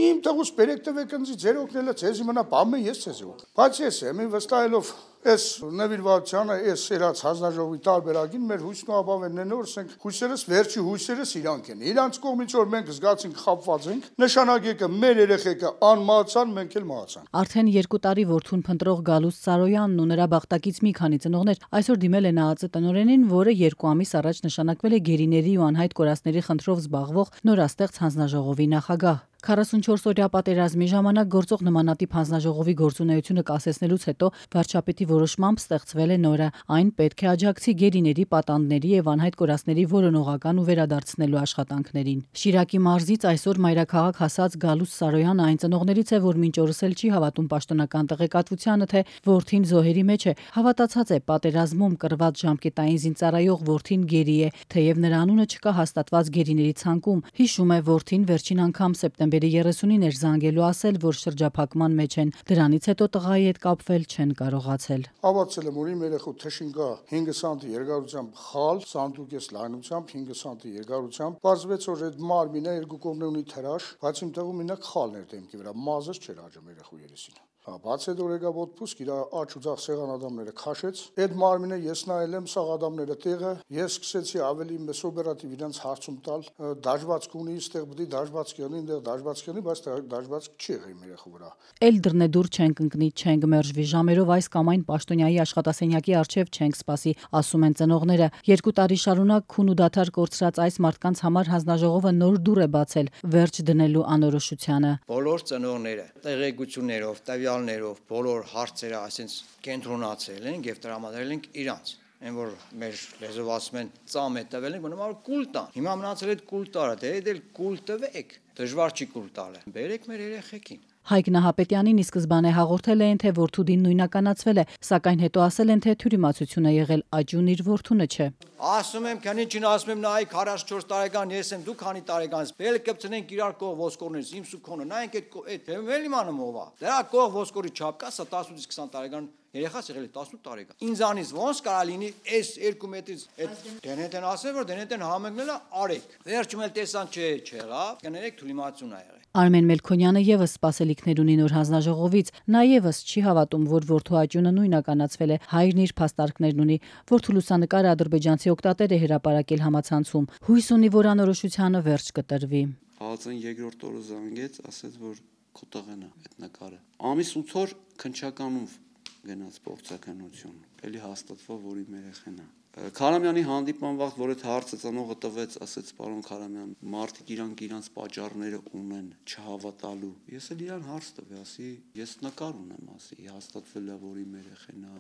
Իմ տղուս բերեք տվեք ինձ ձեր օգնելը ձեզի մնա բամը ես ձեզի օգ։ Բայց ես եմ վստահելով այս նվիրվածությանը, այս սերած հանձնաժողովի տարբերակին մեր հույսն ու ապավեններն օրսենք հույսերս վերջի հույսերս իրանք են։ Իրանց կողմից որ մենք զգացինք խապված ենք, նշանակեկը մեր երեխեքը անմահացան, մենք էլ մահացանք։ Արդեն 2 տարի որդուն փնտրող Գալուստ Սարոյանն ու նրա բախտակից մի քանի ծնողներ այսօր դիմել են ԱԱԾ տնօրենին, որը 2 ամիս առաջ նշանակվել է գերիների ու անհայտ կորածների խնդրով զբաղվող նորաստեղծ հանձնաժողովի նախագահ։ 44-օրյա պատերազմի ժամանակ գործող նմանատիպ հանձնաժողովի գործունեությունը կասեցնելուց հետո վարչապետի որոշմամբ ստեղծվել է նորը։ Այն պետք է աջակցի գերիների, պատանդների եւ անհայտ կորածների որոնողական ու վերադարձնելու աշխատանքներին։ Շիրակի մարզից այսօր մայրաքաղաք հասած Գալուստ Սարոյանը այն ծնողներից է, որ մինչ օրս էլ չի հավատում պաշտոնական տեղեկատվությանը, թե որդին զոհերի մեջ է։ Հավատացած է, պատերազմում կռված ժամկետային զինծառայող որդին գերի է, թեև նրա անունը չկա հաստատված գերիների ցանկում։ Հիշում է, որդին վերջին անգամ սեպտեմբերի 30-ին էր զանգելու ասել, որ շրջափակման մեջ են։ Դրանից հետո տղայի հետ կապվել չեն կարողացել։ Հավատացել եմ, որ իմ երեխու թշին կա 5 սանտի երկարությամբ խալ, սանդուկես լայնությամբ 5 սանտի երկարությամբ։ Պարզվեց, որ այդ մարմինը երկու կողմն ունի թրաշ, բայց իմ տղու մինակ խալն էր դեմքի վրա, մազը չէր աճում երեխու երեսին։ Բաց այդ որ եկավ օդպուսկ, իր աջ ու ձախ սեղան ադամները քաշեց։ Այդ մարմինը ես նայել եմ, սաղ ադամները տեղը, ես սկսեցի ավելի օպերատիվ իրենց հարցում տալ, դաշվածք ունի, այստեղ պետք է դաշվածք անի, այնտեղ դաշվածք անի, բայց դաշվածք չի եղել իմ երեխու վրա։ Էլ դռնեդուր չենք ընկնի, չենք մերժվի, ժամերով այս կամ այն պաշտոնյայի աշխատասենյակի առջև չենք սպասի, ասում են ծնողները։ 2 տարի շարունակ քուն ու դադար կորցրած այս մարդկանց համար հանձնաժողովը նոր դուռ է բացել վերջ դնելու անորոշությանը։ Բոլոր ծնողները տեղեկություններով, տվյալներով, բոլոր հարցերը այսպես կենտրոնացել են եւ տրամադրել են իրանց։ Այն որ մեր լեզվով ասում են ծամ է տվել են, բնավ կուլ տան։ Հիմա մնացել է կուլ տարը, դե դել կուլ տվեք։ Դժվար չի կուլ տալը։ Բերեք մեր երեխեքին։ Հայկ Նահապետյանին ի սկզբանե հաղորդել էին, թե որդու դին նույնականացվել է, սակայն հետո ասել են, թե թյուրիմացություն է եղել, աճուն իր որդունը չէ։ Ասում եմ, քանին ասում եմ, նայեք 44 տարեկան ես եմ, դու քանի տարեկան ես, բել կպցնենք իրար կող ոսկորներից, իմ սուքոնը, նայենք այդ էլ իմանում ով է։ Դրա կող ոսկորի չափ կա, սա 18-ից 20 տարեկան երեխաս եղել է 18 տարեկան։ Ինձանից ոնց կարա լինի այս 2 մետրից այդ դենետեն ասել, որ դենետեն համընկնելա արեք։ Վերջում էլ տեսան չեղավ, կներեք թյուրիմացություն ա եղել։ Արմեն Մելքոնյանը եւս սպասելիքներ ունի նոր հանձնաժողովից։ Նա եւս չի հավատում, որ որդու աճյունը նույնականացվել է։ Հայրն իր փաստարկներն ունի։ Որդու լուսանկարը ադրբեջանցի օկտատեր է հրապարակել համացանցում։ Հույս ունի, որ անորոշությանը վերջ կտրվի։ Ահացան 2-րդ օրը զանգեց, ասեց, որ քո տղեն է այդ նկարը։ Ամիս 8 օր քնչականով գնաց փորձականություն։ Էլի հաստատվա, որ իմ երեխան է։ Քարամյանի հանդիպման վաղ, որ այդ հարցը ծնողը տվեց, ասեց պարոն Քարամյան, մարդիկ իրանց պատճառները ունեն չհավատալու։ Ես էլ իրան հարց տվի, ասի, ես նկար ունեմ, ասի, հաստատվել է, որ իմ երեխան է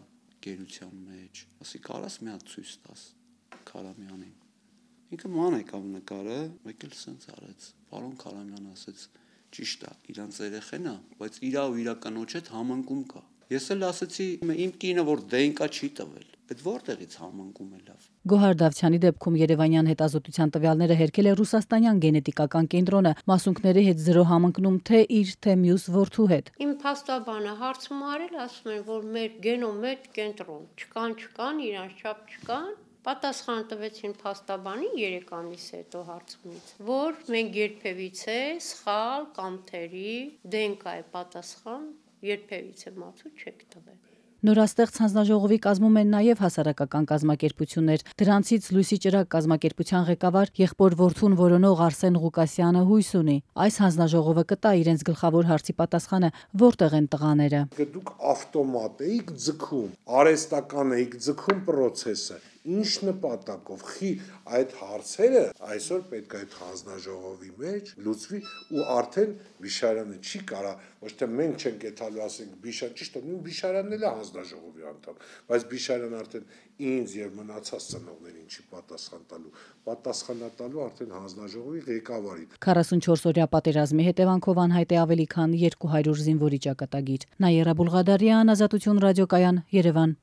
գերության մեջ։ Ասի, կարաս մի հատ ցույց տաս Քարամյանին։ Ինքը ման եկավ նկարը, մեկ էլ սենց արեց։ Պարոն Քարամյան ասեց, ճիշտ է, իրանց երեխան է, բայց իրա ու իրա կնոջ հետ համընկում կա։ Ես էլ ասեցի, իմ կինը որ դենկա չի տվել, այդ որտեղից համընկում է լավ։ Գոհար Դավթյանի դեպքում Երևանյան հետազոտության տվյալները հերքել է Ռուսաստանյան գենետիկական կենտրոնը, մասունքների հետ 0 համընկնում թե իր, թե մյուս որդու հետ։ Իմ փաստաբանը հարցում արել, ասում են, որ մեր գենոմ մեջ կենտրոն չկան, իրանց չափ չկան։ Պատասխան տվեցին փաստաբանին 3 ամիս հետո հարցումից, որ մենք երբևիցե սխալ կամ թերի դենկա է պատասխան, երբևիցե մացու չեք տվել։ Նորաստեղծ հանձնաժողովի կազմում են նաև հասարակական կազմակերպություններ։ Դրանցից Լույսի ճրակ կազմակերպության ղեկավար եղբոր որդուն որոնող Արսեն Ղուկասյանը հույս ունի։ Այս հանձնաժողովը կտա իրենց գլխավոր հարցի պատասխանը՝ որտեղ են տղաները։ Դուք ավտոմատ էիք ձգում, արհեստական էիք ձգում process-ը։ Ինչ նպատակով այդ հարցերը այսօր պետք է այդ հանձնաժողովի մեջ լուծվի ու արդեն Բիշարյանը չի կարա ոչ թե մենք չենք եթալու ասենք Բիշարյան ճիշտ է նույն Բիշարյանն էլ է հանձնաժողովի անդամ բայց Բիշարյանը արդեն ինձ եւ մնացած ծնողներին չի պատասխանատալու արդեն հանձնաժողովի ղեկավարին 44-օրյա պատերազմի հետևանքով անհայտ է ավելի քան 200 զինվորի ճակատագիր։ Նաիրա Բուլղադարյան, Ազատություն ռադիոկայան, Երևան։